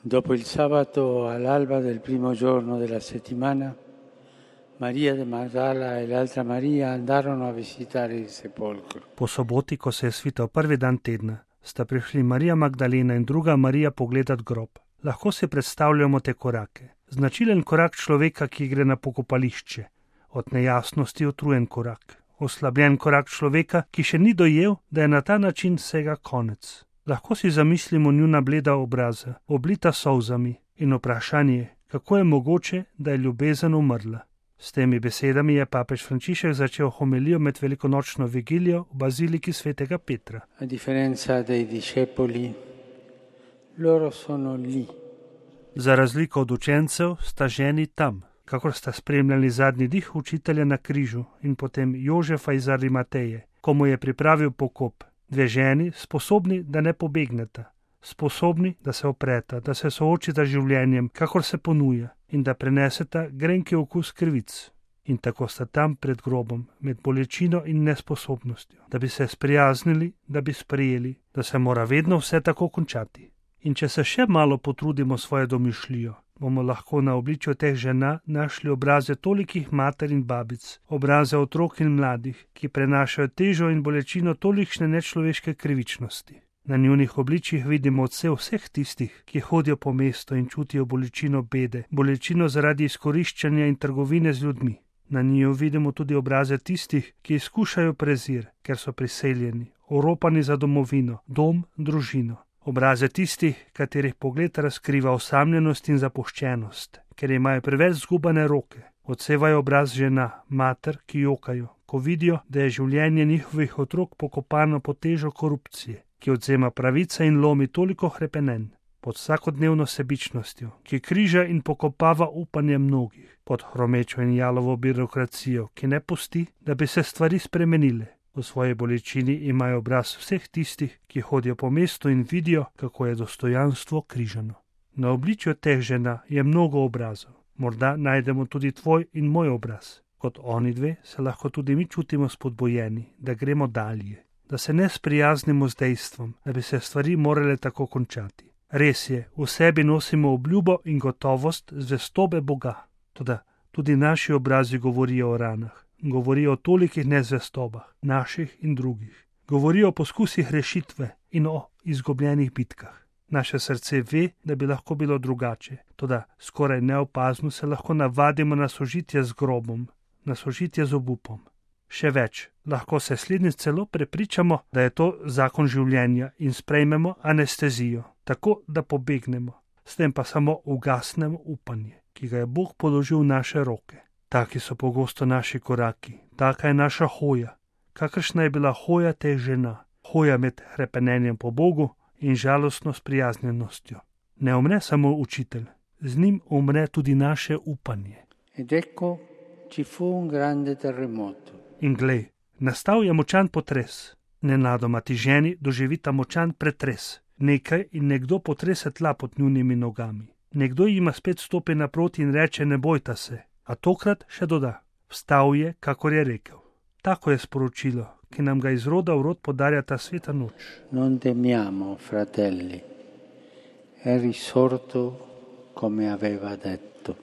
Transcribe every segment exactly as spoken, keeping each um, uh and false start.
Dopo il sabato all'alba del primo giorno della settimana, Maria de Magdala e l'altra Maria andarono a visitare il sepolcro. Po soboti, ko se je svital prvi dan tedna, sta prišli Marija Magdalena in druga Marija pogledat grob. Lahko si predstavljamo te korake. Značilen korak človeka, ki gre na pokopališče. Od nejasnosti utrujen korak. Oslabljen korak človeka, ki še ni dojel, da je na ta način vsega konec. Lahko si zamislimo njuna bleda obraza, oblita solzami, in vprašanje, kako je mogoče, da je ljubezen umrla. S temi besedami je papež Frančišek začel homilijo med velikonočno vigilijo v baziliki svetega Petra. A differenza dei discepoli, loro sono lì. Za razliko od učencev sta ženi tam, kakor sta spremljali zadnji dih učitelja na križu in potem Jožefa iz Arimateje, ko mu je pripravil pokop. Dve ženi, sposobni, da ne pobegneta, sposobni, da se opreta, da se soočita z življenjem, kakor se ponuja, in da preneseta grenki okus krivic. In tako sta tam pred grobom, med bolečino in nesposobnostjo, da bi se sprijaznili, da bi sprejeli, da se mora vedno vse tako končati. In če se še malo potrudimo svojo domišljijo, bomo lahko na obličju teh žena našli obraze tolikih mater in babic, obraze otrok in mladih, ki prenašajo težo in bolečino tolikšne nečloveške krivičnosti. Na njunih obličjih vidimo odsev vseh tistih, ki hodijo po mestu in čutijo bolečino bede, bolečino zaradi izkoriščanja in trgovine z ljudmi. Na njiju vidimo tudi obraze tistih, ki izkušajo prezir, ker so priseljeni, oropani za domovino, dom, družino. Obraze tistih, katerih pogled razkriva osamljenost in zapuščenost, ker imajo preveč zgubane roke. Odsevajo obraz žena, mater, ki jokajo, ko vidijo, da je življenje njihovih otrok pokopano pod težo korupcije, ki odzema pravice in lomi toliko hrepenenj, pod vsakodnevno sebičnostjo, ki križa in pokopava upanje mnogih, pod hromečo in jalovo birokracijo, ki ne pusti, da bi se stvari spremenile. V svoji bolečini imajo obraz vseh tistih, ki hodijo po mestu in vidijo, kako je dostojanstvo križano. Na obličju teh žena je mnogo obrazov. Morda najdemo tudi tvoj in moj obraz. Kot oni dve se lahko tudi mi čutimo spodbojeni, da gremo dalje, da se ne sprijaznimo z dejstvom, da bi se stvari morale tako končati. Res je, v sebi nosimo obljubo in gotovost zvestobe Boga. Toda tudi naši obrazi govorijo o ranah. Govorijo o tolikih nezvestobah, naših in drugih. Govorijo o poskusih rešitve in o izgubljenih bitkah. Naše srce ve, da bi lahko bilo drugače, toda skoraj neopazno se lahko navadimo na sožitje z grobom, na sožitje z obupom. Še več, lahko se slednjič celo prepričamo, da je to zakon življenja in sprejmemo anestezijo, tako da pobegnemo, s tem pa samo ugasnemo upanje, ki ga je Bog položil v naše roke. Taki so pogosto naši koraki, taka je naša hoja, kakršna je bila hoja teh žena, hoja med hrepenenjem po Bogu in žalostno sprijaznjenostjo. Ne umre samo učitelj, z njim umre tudi naše upanje. Ed ecco ci fu un grande terremoto. In glej, nastal je močan potres. Nenadoma ti ženi doživita močan pretres. Nekaj in nekdo potrese tla pod njunimi nogami. Nekdo jima spet stopi naproti in reče: ne bojta se. A tokrat še doda: vstal je, kakor je rekel. Tako je sporočilo, ki nam ga iz roda v rod podarja ta sveta noč. Non temiamo, fratelli, è risorto come aveva detto.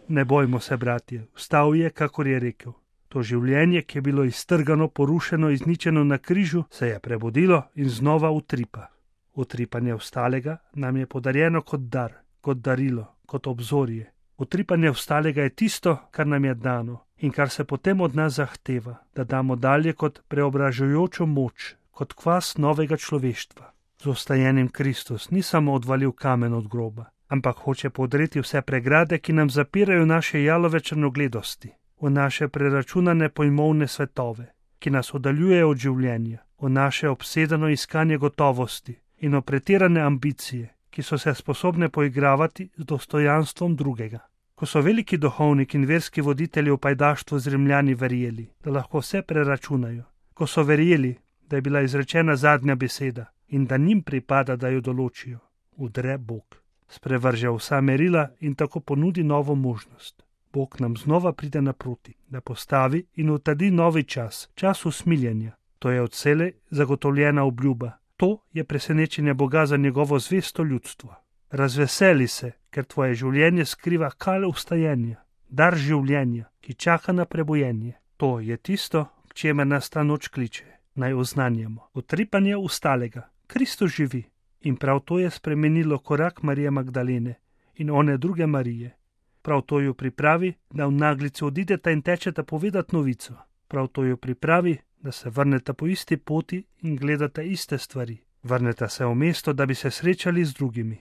Ne bojmo se, bratje, vstal je, kakor je rekel. To življenje, ki je bilo iztrgano, porušeno, izničeno na križu, se je prebudilo in znova utripa. Utripanje vstalega nam je podarjeno kot dar, kot darilo, kot obzorje. Utripanje vstalega je tisto, kar nam je dano in kar se potem od nas zahteva, da damo dalje kot preobražujočo moč, kot kvas novega človeštva. Z ostajenim Kristus ni samo odvalil kamen od groba, ampak hoče podreti vse pregrade, ki nam zapirajo naše jalove črnogledosti, v naše preračunane pojmovne svetove, ki nas oddaljujejo od življenja, v naše obsedeno iskanje gotovosti in v pretirane ambicije, ki so se sposobne poigravati z dostojanstvom drugega. Ko so veliki duhovniki in verski voditelji v pajdaštvu z Rimljani verjeli, da lahko vse preračunajo, ko so verjeli, da je bila izrečena zadnja beseda in da njim pripada, da jo določijo, udre Bog. Sprevrže vsa merila in tako ponudi novo možnost. Bog nam znova pride naproti, da postavi in utrdi novi čas, čas usmiljenja. To je odselej zagotovljena obljuba. To je presenečenje Boga za njegovo zvesto ljudstvo. Razveseli se, ker tvoje življenje skriva kale vstajenja, dar življenja, ki čaka na prebojenje. To je tisto, k čemer nas ta noč kliče. Naj oznanjamo. Utripanje ustalega. Kristus živi. In prav to je spremenilo korak Marije Magdalene in one druge Marije. Prav to jo pripravi, da v naglici odideta in tečeta povedati novico. Prav to jo pripravi, da se vrneta po isti poti in gledata iste stvari. Vrneta se v mesto, da bi se srečali z drugimi.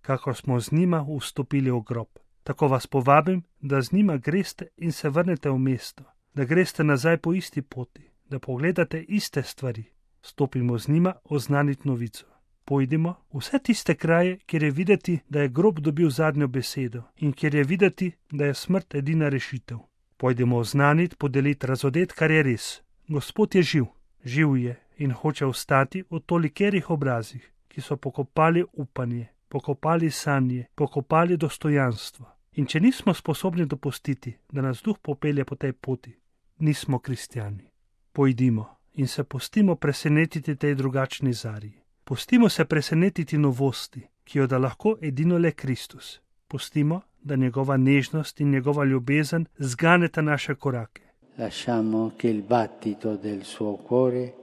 Kakor smo z njima vstopili v grob. Tako vas povabim, da z njima greste in se vrnete v mesto. Da greste nazaj po isti poti. Da pogledate iste stvari. Stopimo z njima oznaniti novico. Pojdimo vse tiste kraje, kjer je videti, da je grob dobil zadnjo besedo in kjer je videti, da je smrt edina rešitev. Pojdimo oznaniti, podeliti, razodeti, kar je res. Gospod je živ, živ je in hoče ostati v tolikerih obrazih, ki so pokopali upanje, pokopali sanje, pokopali dostojanstvo. In če nismo sposobni dopustiti, da nas duh popelje po tej poti, nismo kristjani. Pojdimo in se pustimo presenetiti tej drugačni zarji. Pustimo se presenetiti novosti, ki jo da lahko edino le Kristus. Pustimo, da njegova nežnost in njegova ljubezen zganeta naše korake. Lasciamo che il battito del suo cuore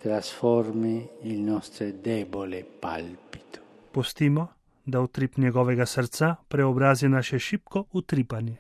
trasformi il nostro debole palpito. Pustimo, da utrip njegovega srca preobrazi naše šibko utripanje.